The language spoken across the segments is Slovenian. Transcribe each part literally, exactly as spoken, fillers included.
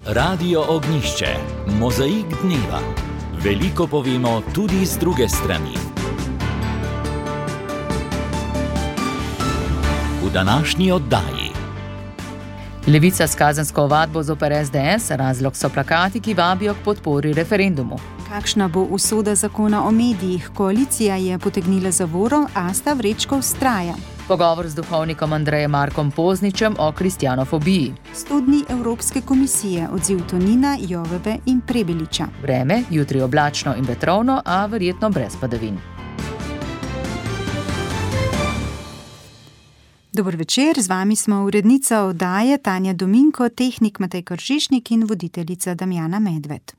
Radio Ognjišče, mozaik dneva. Veliko povemo tudi z druge strani. V današnji oddaji. Levica s kazensko ovadbo zoper es de es, razlog so plakati, ki vabijo k podpori referendumu. Kakšna bo usoda zakona o medijih? Koalicija je potegnila zavoro, Asta Vrečko vztraja. Pogovor z duhovnikom Andrejem Markom Pozničem o kristjanofobiji. sto dni Evropske komisije, odziv Tonina, Joveve in Prebeliča. Vreme, jutri oblačno in vetrovno, a verjetno brez padavin. Dober večer, z vami smo urednica oddaje Tanja Dominko, tehnik Matej Kržišnik in voditeljica Damjana Medved.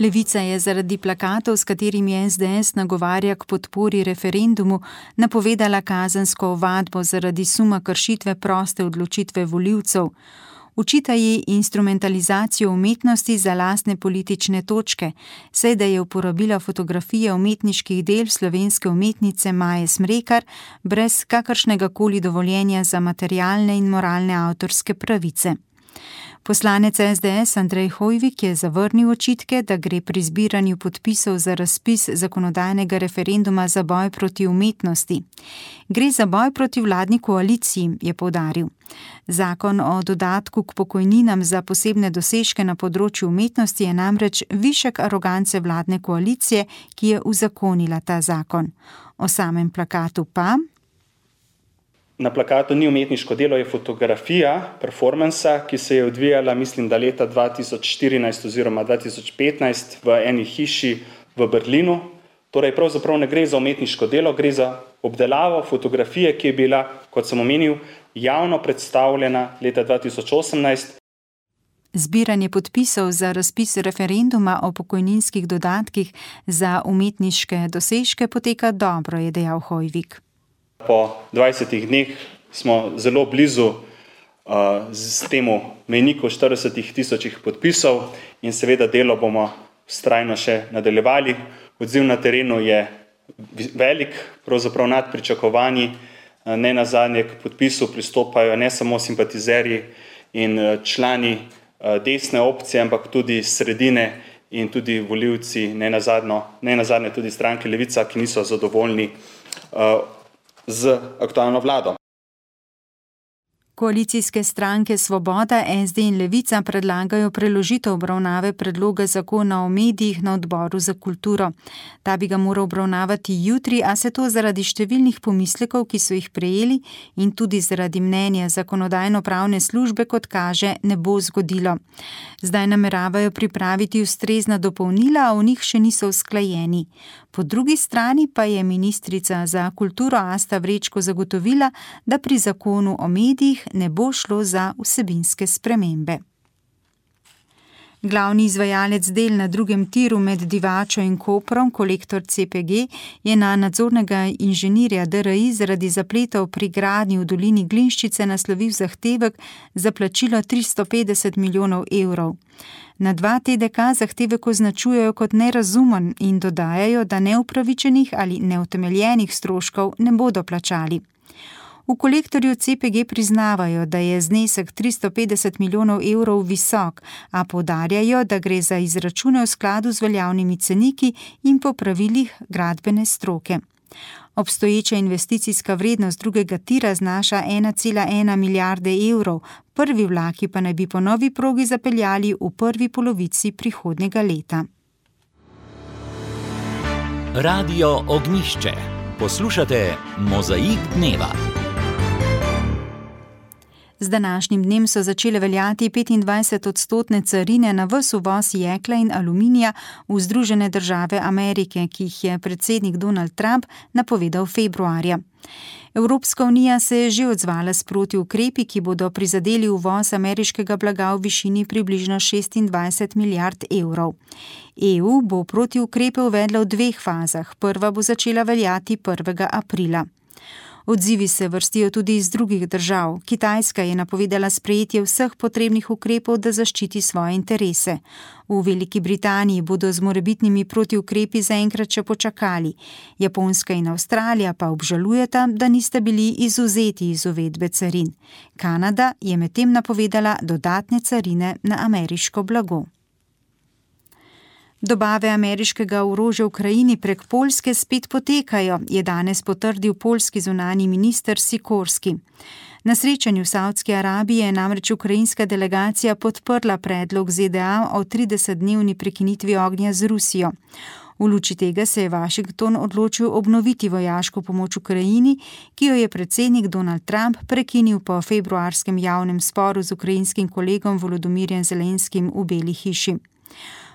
Levica je zaradi plakatov, s katerimi es de es nagovarja k podpori referendumu, napovedala kazensko ovadbo zaradi suma kršitve proste odločitve volivcev. Očita ji instrumentalizacijo umetnosti za lastne politične točke, saj da je uporabila fotografije umetniških del slovenske umetnice Maje Smrekar brez kakršnega koli dovoljenja za materialne in moralne avtorske pravice. Poslanec es de es Andrej Hoivik je zavrnil očitke, da gre pri zbiranju podpisov za razpis zakonodajnega referenduma za boj proti umetnosti. Gre za boj proti vladni koaliciji, je poudaril. Zakon o dodatku k pokojninam za posebne dosežke na področju umetnosti je namreč višek arogance vladne koalicije, ki je uzakonila ta zakon. O samem plakatu pa... Na plakatu ni umetniško delo, je fotografija performansa, ki se je odvijala, mislim, da leta dva tisoč štirinajst oziroma dva tisoč petnajst v eni hiši v Berlinu. Torej, pravzaprav ne gre za umetniško delo, gre za obdelavo fotografije, ki je bila, kot sem omenil, javno predstavljena leta dva tisoč osemnajst. Zbiranje podpisov za razpis referenduma o pokojninskih dodatkih za umetniške dosežke poteka dobro, je dejal Hoivik. Po dvajsetih dneh smo zelo blizu uh, z temu mejniku štiridesetih tisočih podpisov in seveda delo bomo vztrajno še nadaljevali. Odziv na terenu je velik, pravzaprav nad pričakovanji. Ne nazadnje k podpisu pristopajo ne samo simpatizerji in člani uh, desne opcije, ampak tudi sredine in tudi volivci, ne nazadnje, ne nazadnje tudi stranke Levica, ki niso zadovoljni uh, z aktualno vlado. Koalicijske stranke Svoboda, es de in Levica predlagajo preložitev obravnave predloga zakona o medijih na odboru za kulturo. Ta bi ga moral obravnavati jutri, a se to zaradi številnih pomislekov, ki so jih prejeli, in tudi zaradi mnenja zakonodajno-pravne službe, kot kaže, ne bo zgodilo. Zdaj nameravajo pripraviti ustrezna dopolnila, a v njih še niso usklajeni. Po drugi strani pa je ministrica za kulturo Asta Vrečko zagotovila, da pri zakonu o medijih ne bo šlo za vsebinske spremembe. Glavni izvajalec del na drugem tiru med Divačo in Koprom, Kolektor ce pe ge, je na nadzornega inženirja de er i zaradi zapletov pri gradnji v dolini Glinščice naslovil zahtevek za plačilo tristo petdeset milijonov evrov. Na dva te de ka zahtevek označujejo kot nerazumen in dodajajo, da neupravičenih ali neutemeljenih stroškov ne bodo plačali. V Kolektorju ce pe ge priznavajo, da je znesek tristo petdeset milijonov evrov visok, a poudarjajo, da gre za izračune v skladu z veljavnimi ceniki in po pravilih gradbene stroke. Obstoječa investicijska vrednost drugega tira znaša ena cela ena milijarde evrov, prvi vlaki pa naj bi po novi progi zapeljali v prvi polovici prihodnjega leta. Radio Ognjišče. Poslušate Mozaik dneva. Z današnjim dnem so začele veljati petindvajset odstotne carine na ves uvoz jekla in aluminija v Združene države Amerike, ki jih je predsednik Donald Trump napovedal februarja. Evropska unija se je že odzvala s protiukrepi, ki bodo prizadeli uvoz ameriškega blaga v višini približno šestindvajset milijard evrov. e u bo protiukrepe uvedla v dveh fazah. Prva bo začela veljati prvega aprila. Odzivi se vrstijo tudi iz drugih držav. Kitajska je napovedala sprejetje vseh potrebnih ukrepov, da zaščiti svoje interese. V Veliki Britaniji bodo z morebitnimi protiukrepi zaenkrat še počakali. Japonska in Avstralija pa obžalujeta, da nista bili izvzeti iz uvedbe carin. Kanada je medtem napovedala dodatne carine na ameriško blago. Dobave ameriškega orožja Ukrajini prek Poljske spet potekajo, je danes potrdil poljski zunanji minister Sikorski. Na srečanju v Savdski Arabiji je namreč ukrajinska delegacija podprla predlog Z D A o tridesetdnevni prekinitvi ognja z Rusijo. V luči tega se je Washington odločil obnoviti vojaško pomoč Ukrajini, ki jo je predsednik Donald Trump prekinil po februarskem javnem sporu z ukrajinskim kolegom Volodomirjem Zelenskim v Beli hiši.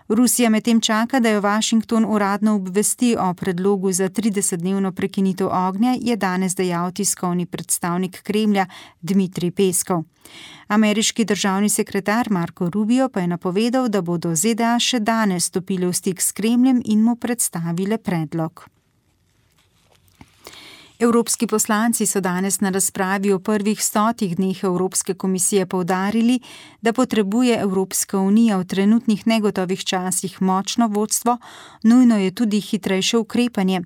Rusija medtem čaka, da jo Washington uradno obvesti o predlogu za tridesetdnevno prekinitev ognja, je danes dejal tiskovni predstavnik Kremlja Dmitrij Peskov. Ameriški državni sekretar Marco Rubio pa je napovedal, da bodo Z D A še danes stopile v stik s Kremljem in mu predstavile predlog. Evropski poslanci so danes na razpravi o prvih stotih dneh Evropske komisije poudarili, da potrebuje Evropska unija v trenutnih negotovih časih močno vodstvo, nujno je tudi hitrejše ukrepanje.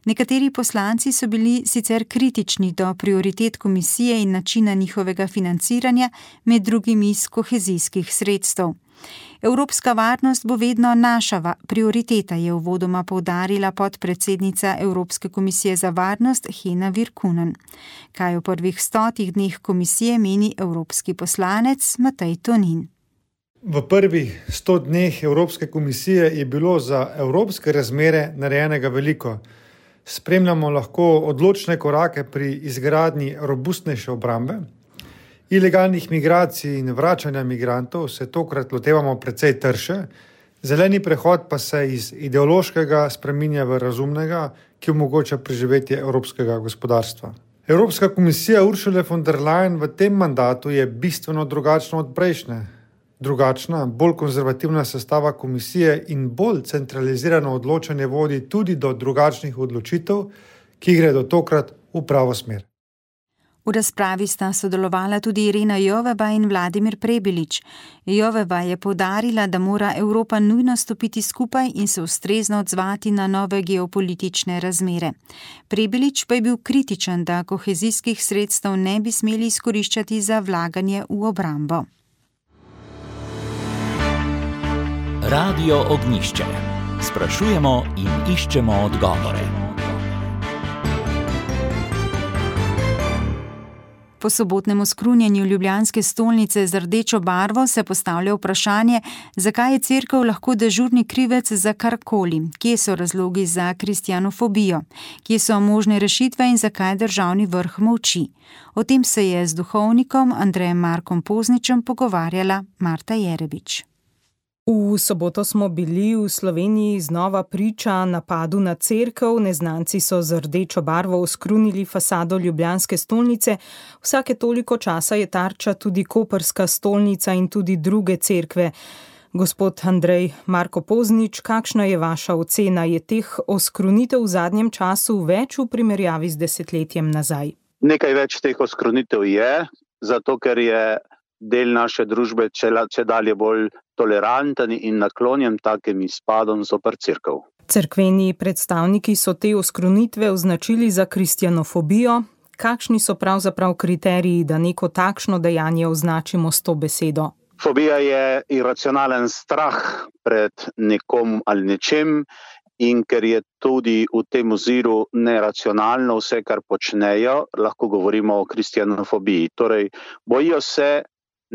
Nekateri poslanci so bili sicer kritični do prioritet komisije in načina njihovega financiranja, med drugim iz kohezijskih sredstev. Evropska varnost bo vedno naša prioriteta, je uvodoma poudarila podpredsednica Evropske komisije za varnost Hena Virkunen. Kaj o prvih stotih dneh komisije meni evropski poslanec Matej Tonin. V prvih sto dneh Evropske komisije je bilo za evropske razmere narejenega veliko. Spremljamo lahko odločne korake pri izgradnji robustnejše obrambe. Ilegalnih migracij in vračanja migrantov se tokrat lotevamo precej trše, zeleni prehod pa se iz ideološkega spreminja v razumnega, ki omogoča preživetje evropskega gospodarstva. Evropska komisija Ursule von der Leyen v tem mandatu je bistveno drugačna od prejšnje. Drugačna, bolj konzervativna sestava komisije in bolj centralizirano odločanje vodi tudi do drugačnih odločitev, ki gredo tokrat v pravo smer. V razpravi sta sodelovala tudi Irena Joveva in Vladimir Prebilič. Joveva je poudarila, da mora Evropa nujno stopiti skupaj in se ustrezno odzvati na nove geopolitične razmere. Prebilič pa je bil kritičen, da kohezijskih sredstev ne bi smeli izkoriščati za vlaganje v obrambo. Radio Ognjišče. Sprašujemo in iščemo odgovore. Po sobotnem oskrunjenju ljubljanske stolnice z rdečo barvo se postavlja vprašanje, zakaj je cerkev lahko dežurni krivec za karkoli, kje so razlogi za kristjanofobijo, kje so možne rešitve in zakaj državni vrh molči. O tem se je z duhovnikom Andrejem Markom Pozničem pogovarjala Marta Jerebič. V soboto smo bili v Sloveniji znova priča napadu na cerkev. Neznanci so z rdečo barvo oskrunili fasado ljubljanske stolnice. Vsake toliko časa je tarča tudi koprska stolnica in tudi druge cerkve. Gospod Andrej Marko Poznič, kakšna je vaša ocena? Je teh oskrunitev v zadnjem času več v primerjavi z desetletjem nazaj? Nekaj več teh oskrunitev je, zato ker je del naše družbe če dalje bolj toleranten in naklonjen takim izpadom zoper cerkev. Cerkveni predstavniki so te oskrunitve označili za kristjanofobijo. Kakšni so pravzaprav kriteriji, da neko takšno dejanje označimo s to besedo? Fobija je iracionalen strah pred nekom ali nečem in ker je tudi v tem oziru neracionalno vse, kar počnejo, lahko govorimo o kristjanofobiji. Torej, bojijo se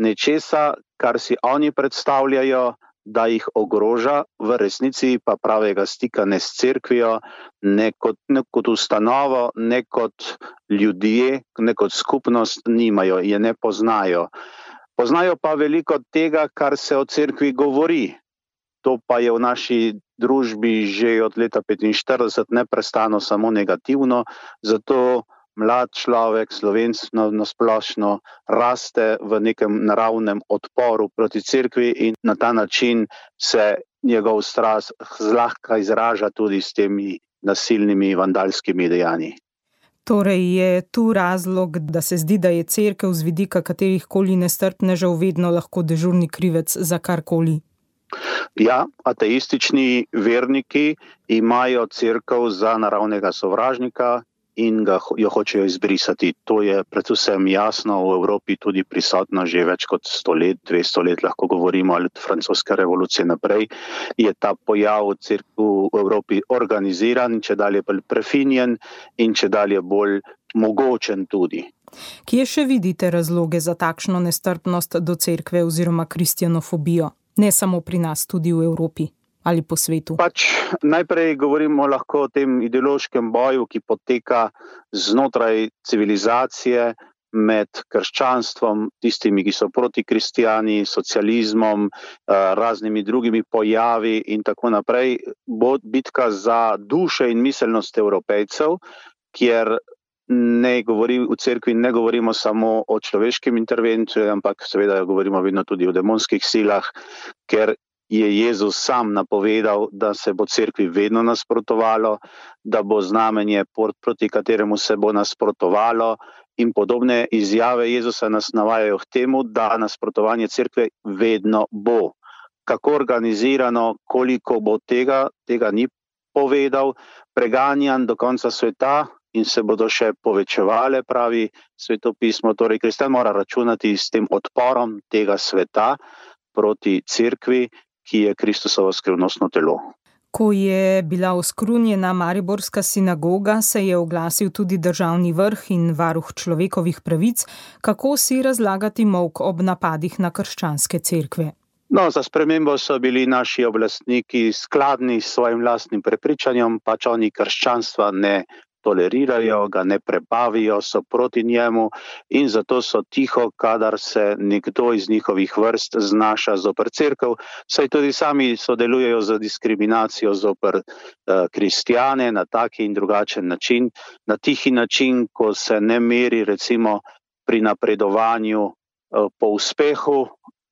nečesa, kar si oni predstavljajo, da jih ogroža, v resnici pa pravega stika ne s cerkvijo, ne kot, ne kot ustanovo, ne kot ljudje, ne kot skupnost nimajo, je ne poznajo. Poznajo pa veliko tega, kar se o cerkvi govori. To pa je v naši družbi že od leta petinštirideset neprestano samo negativno, zato mlad človek, Slovenc na splošno, raste v nekem naravnem odporu proti cerkvi in na ta način se njegov strah zlahka izraža tudi s temi nasilnimi vandalskimi dejanji. Torej je tu razlog, da se zdi, da je cerkev z vidika katerihkoli nestrpnežev vedno lahko dežurni krivec za karkoli. Ja, ateistični verniki imajo cerkev za naravnega sovražnika in ga, jo hočejo izbrisati. To je predvsem jasno v Evropi tudi prisotno že več kot sto let, dvesto let lahko govorimo, ali od francoske revolucije naprej, je ta pojav cerkev v Evropi organiziran, če dalje bolj prefinjen in če dalje bolj mogočen tudi. Kje še vidite razloge za takšno nestrpnost do cerkve oziroma kristjanofobijo? Ne samo pri nas, tudi v Evropi ali po svetu. Pač najprej govorimo lahko o tem ideološkem boju, ki poteka znotraj civilizacije med krščanstvom, tistimi, ki so proti kristijani, socializmom, raznimi drugimi pojavi in tako naprej. Bo bitka za duše in miselnost Evropejcev, kjer ne govori, v cerkvi ne govorimo samo o človeškem intervenciji, ampak seveda govorimo vedno tudi o demonskih silah, ker je Jezus sam napovedal, da se bo cerkvi vedno nasprotovalo, da bo znamenje, proti kateremu se bo nasprotovalo, in podobne izjave Jezusa nas navajajo k temu, da nasprotovanje cerkve vedno bo. Kako organizirano, koliko bo tega, tega ni povedal, preganjan do konca sveta in se bodo še povečevale, pravi svetopismo. Torej, kristjan mora računati s tem odporom tega sveta proti cerkvi, ki je Kristusovo skrivnostno telo. Ko je bila oskrunjena mariborska sinagoga, se je oglasil tudi državni vrh in varuh človekovih pravic. Kako si razlagati molk ob napadih na krščanske cerkve? No, za spremembo so bili naši oblastniki skladni s svojim lastnim prepričanjem, pač oni krščanstva ne tolerirajo, ga ne prebavijo, so proti njemu in zato so tiho, kadar se nekdo iz njihovih vrst znaša zoper cerkev, saj tudi sami sodelujejo za diskriminacijo zoper uh, kristjane na taki in drugačen način, na tihi način, ko se ne meri recimo pri napredovanju uh, po uspehu,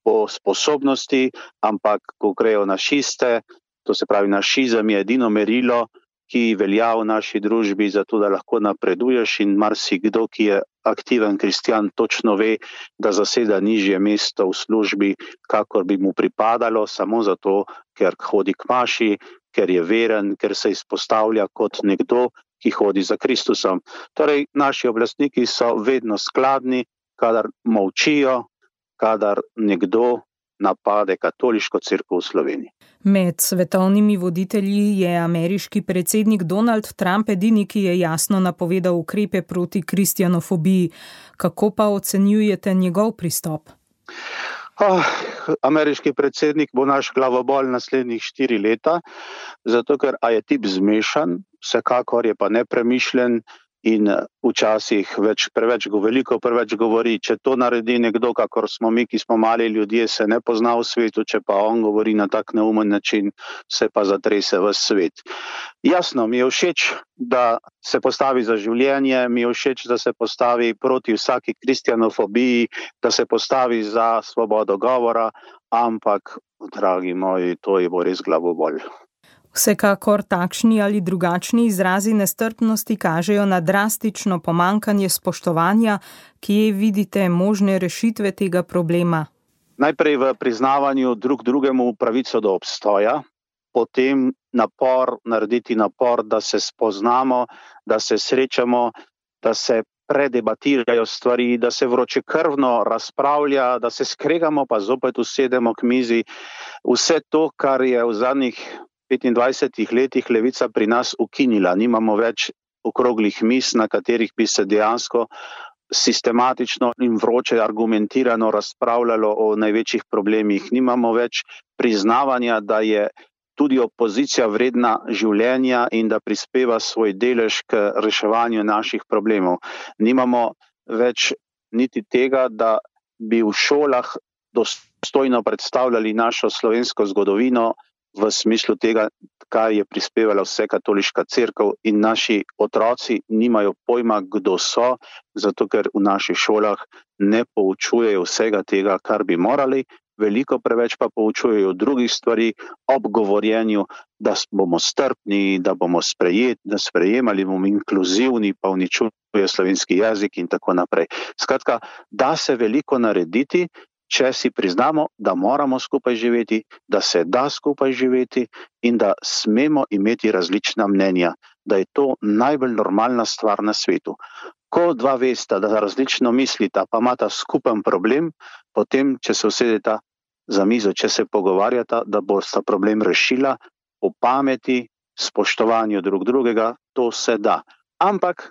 po sposobnosti, ampak ko grejo na šiste, to se pravi našizem je edino merilo, ki velja v naši družbi, zato da lahko napreduješ in marsikdo, ki je aktiven kristjan, točno ve, da zaseda nižje mesto v službi, kakor bi mu pripadalo, samo zato, ker hodi k maši, ker je veren, ker se izpostavlja kot nekdo, ki hodi za Kristusom. Torej, naši oblastniki so vedno skladni, kadar molčijo, kadar nekdo napade katoliško cerkev v Sloveniji. Med svetovnimi voditelji je ameriški predsednik Donald Trump edini, ki je jasno napovedal ukrepe proti kristjanofobiji. Kako pa ocenjujete njegov pristop? Oh, ameriški predsednik bo naš glavobol naslednjih štiri leta, zato ker a je tip zmešan, vsekakor je pa nepremišljen in včasih več, preveč, veliko preveč govori. Če to naredi nekdo, kakor smo mi, ki smo mali ljudje, se ne pozna v svetu, če pa on govori na tak neumen način, se pa zatrese ves svet. Jasno, mi je všeč, da se postavi za življenje, mi je všeč, da se postavi proti vsaki kristjanofobiji, da se postavi za svobodo govora, ampak, dragi moji, to je bo res glavobol. Vsekakor takšni ali drugačni izrazi nestrpnosti kažejo na drastično pomankanje spoštovanja, kje vidite možne rešitve tega problema? Najprej v priznavanju drug drugemu pravico do obstoja, potem napor, narediti napor, da se spoznamo, da se srečamo, da se predebatirajo stvari, da se vročekrvno razpravlja, da se skregamo, pa zopet usedemo k mizi. Vse to, kar je v zadnjih petindvajsetih letih levica pri nas ukinila. Nimamo več okroglih miz, na katerih bi se dejansko sistematično in vroče argumentirano razpravljalo o največjih problemih. Nimamo več priznavanja, da je tudi opozicija vredna življenja in da prispeva svoj delež k reševanju naših problemov. Nimamo več niti tega, da bi v šolah dostojno predstavljali našo slovensko zgodovino, v smislu tega, kaj je prispevala vse katoliška cerkev, in naši otroci nimajo pojma, kdo so, zato ker v naših šolah ne poučujejo vsega tega, kar bi morali, veliko preveč pa poučujejo drugih stvari ob govorjenju, da bomo strpni, da bomo sprejeti, da sprejemali bomo inkluzivni, pa uničuje slovenski jezik in tako naprej. Skratka, da se veliko narediti, če si priznamo, da moramo skupaj živeti, da se da skupaj živeti in da smemo imeti različna mnenja, da je to najbolj normalna stvar na svetu. Ko dva vesta, da različno mislita, pa imata skupen problem, potem, če se usedeta za mizo, če se pogovarjata, da bosta problem rešila, o pameti, spoštovanju drug drugega, to se da. Ampak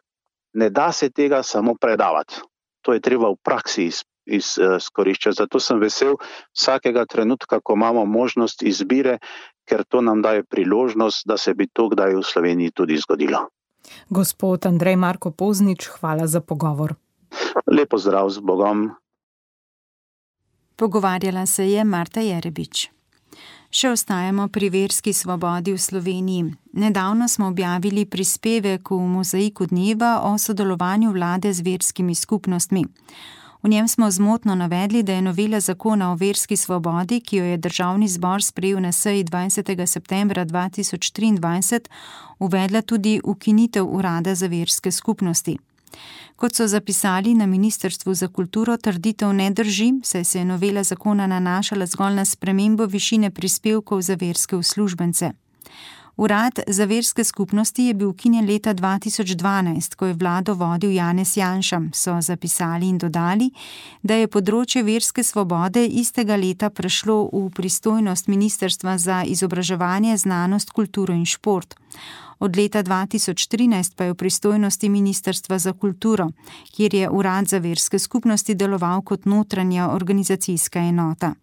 ne da se tega samo predavati. To je treba v praksi izkoriščati. Zato sem vesel vsakega trenutka, ko imamo možnost izbire, ker to nam daje priložnost, da se bi to kdaj v Sloveniji tudi zgodilo. Gospod Andrej Marko Poznič, hvala za pogovor. Lepo zdrav, z Bogom. Pogovarjala se je Marta Jerebič. Še ostajamo pri verski svobodi v Sloveniji. Nedavno smo objavili prispevek v Mozaiku dneva o sodelovanju vlade z verskimi skupnostmi. V njem smo zmotno navedli, da je novela zakona o verski svobodi, ki jo je Državni zbor sprejel na seji dvajsetega septembra dva tisoč triindvajset, uvedla tudi ukinitev urada za verske skupnosti. Kot so zapisali na Ministrstvu za kulturo, trditev ne drži, saj se je novela zakona nanašala zgolj na spremembo višine prispevkov za verske uslužbence. Urad za verske skupnosti je bil ukinjen leta dva tisoč dvanajst, ko je vlado vodil Janez Janša, so zapisali in dodali, da je področje verske svobode istega leta prešlo v pristojnost Ministrstva za izobraževanje, znanost, kulturo in šport. Od leta dva tisoč trinajst pa je v pristojnosti Ministrstva za kulturo, kjer je Urad za verske skupnosti deloval kot notranja organizacijska enota.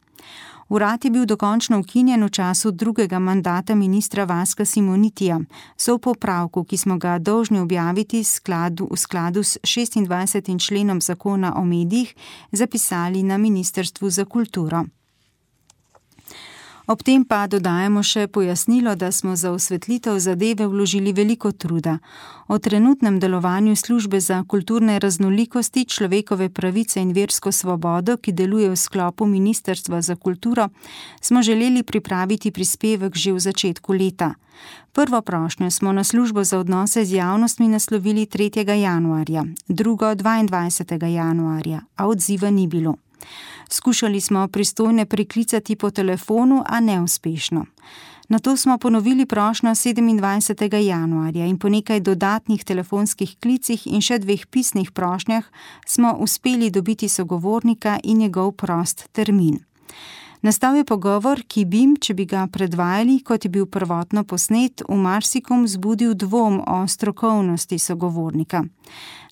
Urad je bil dokončno ukinjen v času drugega mandata ministra Vaska Simonitija, so v popravku, ki smo ga dolžni objaviti v skladu, v skladu s šestindvajsetim členom zakona o medijih, zapisali na Ministrstvu za kulturo. Ob tem pa dodajamo še pojasnilo, da smo za osvetlitev zadeve vložili veliko truda. O trenutnem delovanju službe za kulturne raznolikosti, človekove pravice in versko svobodo, ki deluje v sklopu Ministrstva za kulturo, smo želeli pripraviti prispevek že v začetku leta. Prvo prošnjo smo na službo za odnose z javnostmi naslovili tretjega januarja, drugo dvaindvajsetega januarja, a odziva ni bilo. Skušali smo pristojne priklicati po telefonu, a neuspešno. Nato smo ponovili prošnjo sedemindvajsetega januarja in po nekaj dodatnih telefonskih klicih in še dveh pisnih prošnjah smo uspeli dobiti sogovornika in njegov prost termin. Nastal je pogovor, ki bi, če bi ga predvajali, kot je bil prvotno posnet, v marsikom vzbudil dvom o strokovnosti sogovornika.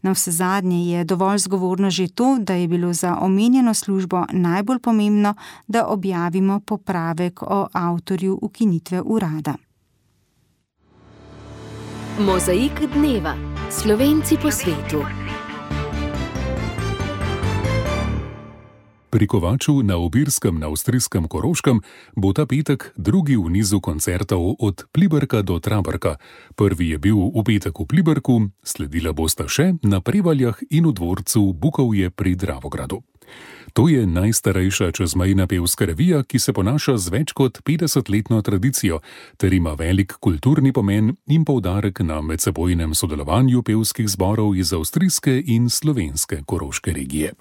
Navsezadnje je dovolj zgovorno že to, da je bilo za omenjeno službo najbolj pomembno, da objavimo popravek o avtorju ukinitve urada. Mozaik dneva. Slovenci po svetu. Pri Kovaču na Obirskem na avstrijskem Koroškem bo ta petek drugi v nizu koncertov od Pliberka do Traberka. Prvi je bil v petek v Pliberku, sledila bosta še na Prevaljah in v dvorcu Bukovje pri Dravogradu. To je najstarejša čezmejna pevska revija, ki se ponaša z več kot petdesetletno tradicijo ter ima velik kulturni pomen in poudarek na medsebojnem sodelovanju pevskih zborov iz avstrijske in slovenske Koroške regije.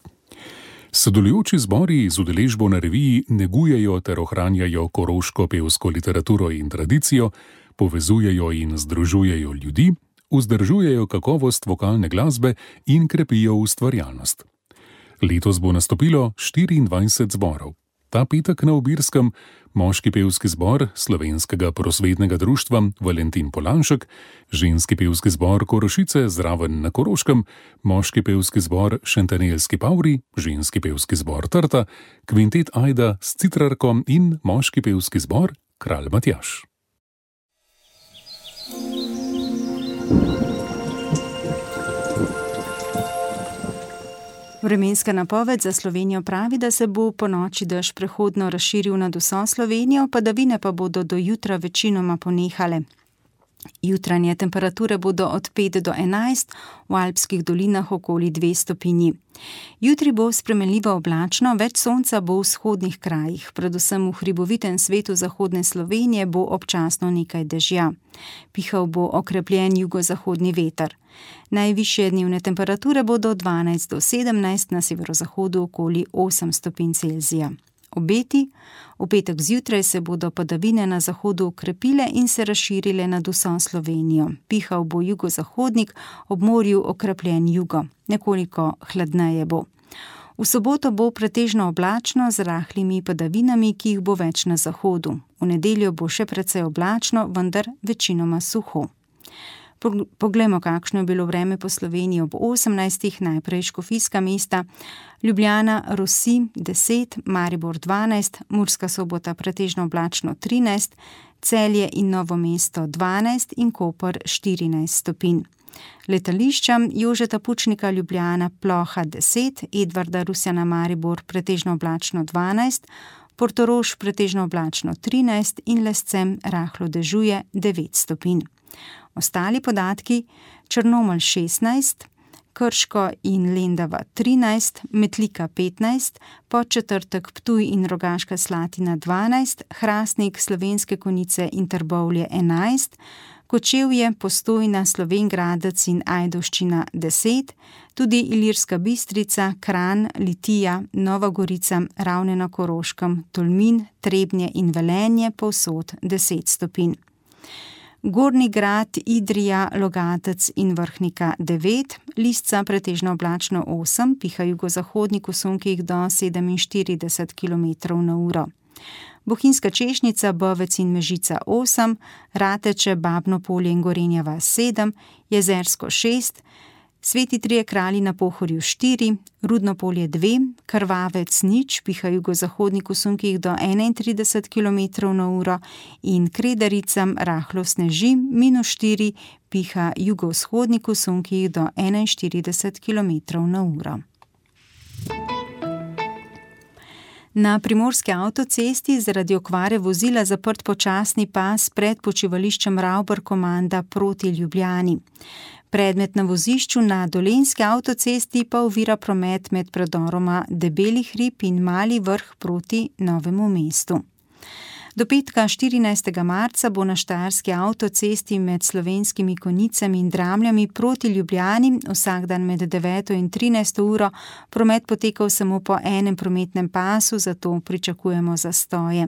Sodelujoči zbori z udeležbo na reviji negujejo ter ohranjajo koroško pevsko literaturo in tradicijo, povezujejo in združujejo ljudi, vzdržujejo kakovost vokalne glasbe in krepijo ustvarjalnost. Letos bo nastopilo štiriindvajset zborov. Ta petek na Obirskem moški pevski zbor Slovenskega prosvetnega društva Valentin Polanšek, ženski pevski zbor Korošice zraven na Koroškem, moški pevski zbor Šentanelski Pavri, ženski pevski zbor Trta, kvintet Ajda s citrarkom in moški pevski zbor Kralj Matjaž. Vremenska napoved za Slovenijo pravi, da se bo po noči dež prehodno razširil nad vso Slovenijo, padavine pa bodo do jutra večinoma ponehale. Jutranje temperature bodo od pet do enajst, v alpskih dolinah okoli dve stopinji. Jutri bo spremenljivo oblačno, več sonca bo v vzhodnih krajih, predvsem v hribovitem svetu zahodne Slovenije bo občasno nekaj dežja. Pihal bo okrepljen jugozahodni veter. Najvišje dnevne temperature bodo dvanajst do sedemnajst, na severozahodu okoli osem stopinj Celzija. Obeti: v petek zjutraj se bodo padavine na zahodu okrepile in se razširile nad vso Slovenijo. Pihal bo jugozahodnik, ob morju okrepljen jugo. Nekoliko hladneje bo. V soboto bo pretežno oblačno z rahlimi padavinami, ki jih bo več na zahodu. V nedeljo bo še precej oblačno, vendar večinoma suho. Poglejmo, kakšno je bilo vreme po Sloveniji ob osemnajstih, najprej škofijska mesta, Ljubljana, Rosi deset, Maribor dvanajst, Murska Sobota pretežno oblačno trinajst, Celje in Novo mesto dvanajst in Koper štirinajst stopinj. Letališča: Jožeta Pučnika Ljubljana, Ploha deset, Edvarda Rusjana Maribor pretežno oblačno dvanajst, Portorož pretežno oblačno trinajst in Lescem rahlo dežuje devet stopinj. Ostali podatki: Črnomelj šestnajst, Krško in Lendava trinajst, Metlika petnajst, Podčetrtek, Ptuj in Rogaška Slatina dvanajst, Hrastnik, Slovenske Konjice in Trbovlje enajst, Kočevje, Postojna, Slovenj Gradec in Ajdovščina deset, tudi Ilirska Bistrica, Kranj, Litija, Nova Gorica, Ravne na Koroškem, Tolmin, Trebnje in Velenje povsod deset stopinj. Gornji Grad, Idrija, Logatec in Vrhnika devet, Lisca pretežno oblačno osem, piha jugozahodnik v sunkih do sedeminštirideset kilometrov na uro. Bohinjska Češnjica, Bovec in Mežica osem, Rateče, Babno Polje in Gorenja vas sedem, Jezersko šest, Sveti Trije Kralji na Pohorju štiri, Rudno Polje dve, Krvavec nič, piha jugozahodnik v sunkih do enaintrideset kilometrov na uro in Kredaricam rahlo sneži, minus štiri, piha jugovzhodnik v sunkih do enainštirideset kilometrov na uro. Na primorski avtocesti zaradi okvare vozila zaprt počasni pas pred počivališčem Ravbar-Komanda proti Ljubljani. Predmet na vozišču na Dolenjski avtocesti pa ovira promet med predoroma Debeli hrib in Mali Vrh proti Novemu mestu. Do petka štirinajstega marca bo na Štajerski avtocesti med Slovenskimi Konjicami in Dramljami proti Ljubljani vsak dan med deveto in trinajsto uro promet potekal samo po enem prometnem pasu, zato pričakujemo zastoje.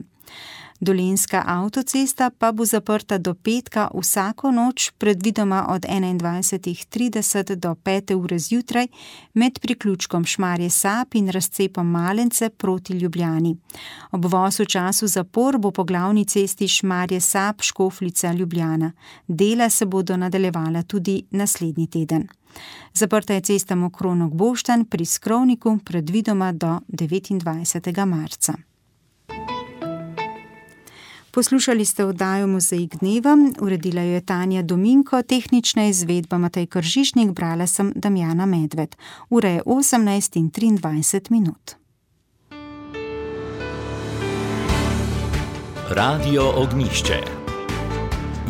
Dolenjska avtocesta pa bo zaprta do petka vsako noč, predvidoma od enaindvajsetih trideset do pete ure zjutraj, med priključkom Šmarje Sap in razcepom Malence proti Ljubljani. Obvoz v času zapor bo po glavni cesti Šmarje Sap, Škofljica, Ljubljana. Dela se bodo nadaljevala tudi naslednji teden. Zaprta je cesta Mokronog-Boštanj pri Skrovniku, predvidoma do devetindvajsetega marca. Poslušali ste oddajo Mozaik dneva, uredila jo je Tanja Dominko, tehnična izvedba Matej Kržišnik, brala sem Damjana Medved. Ura je osemnajst in triindvajset minut. Radio Ognjišče.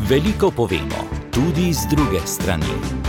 Veliko povemo, tudi z druge strani.